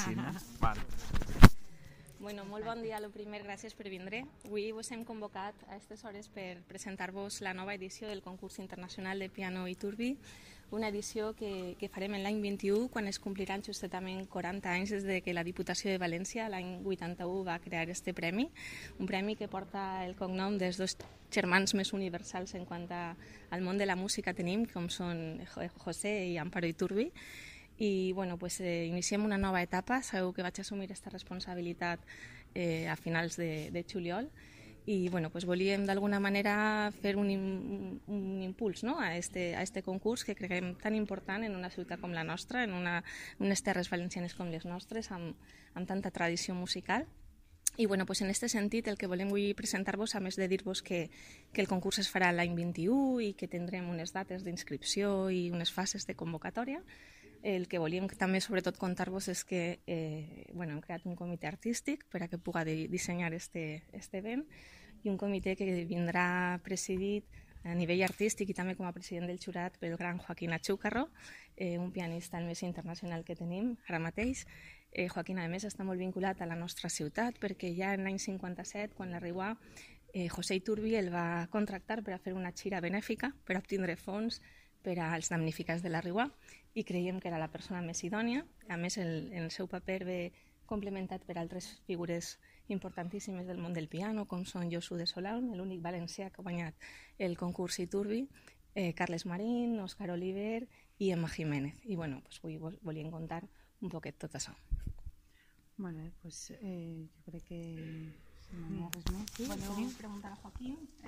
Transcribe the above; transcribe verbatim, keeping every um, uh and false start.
així, no? Val. Bueno, molt bon dia. Lo primer, gràcies per vindre. Avui vos hem convocat a aquestes hores per presentar-vos la nova edició del concurs internacional de piano Iturbi, una edició que, que farem l'any vint-i-u, quan es compliran justament quaranta anys des de que la Diputació de València l'any vuitanta-u va crear este premi, un premi que porta el cognom dels dos germans més universals en quant al món de la música tenim, com són José i Amparo Iturbi. I bueno, pues, eh, iniciem una nova etapa. Sabeu que vaig assumir aquesta responsabilitat eh, a finals de, de juliol i bueno, pues, volíem d'alguna manera fer un, un, un impuls, no? a, este, a este concurs que creiem tan important en una ciutat com la nostra, en una, unes terres valencianes com les nostres, amb, amb tanta tradició musical. I bueno, pues en aquest sentit el que volem avui presentar-vos, a més de dir-vos que, que el concurs es farà l'any vint-i-u i que tindrem unes dates d'inscripció i unes fases de convocatòria, el que volíem també sobretot contar-vos és que eh, bueno, hem creat un comitè artístic per a que pugui de dissenyar este, este event, i un comitè que vindrà presidit a nivell artístic i també com a president del jurat pel gran Joaquín Achúcarro, eh, un pianista el més internacional que tenim ara mateix. Eh, Joaquín, a més, està molt vinculat a la nostra ciutat perquè ja en l'any cinquanta-set, quan l'arribà, eh, José Iturbi el va contractar per a fer una gira benèfica per obtindre fons per als damnificats de la Riuà, i creiem que era la persona més idònia. A més, el, el seu paper ve complementat per altres figures importantíssimes del món del piano, com són Josu de Solaun, l'únic valencià que ha guanyat el concurs Iturbi, eh, Carles Marín, Òscar Oliver i Emma Jiménez. I bueno, pues, avui volíem contar un poquet tot això. Molt bé, doncs eh, jo crec que si no hi ha res més. Sí, voleu preguntar a Joaquín? Eh,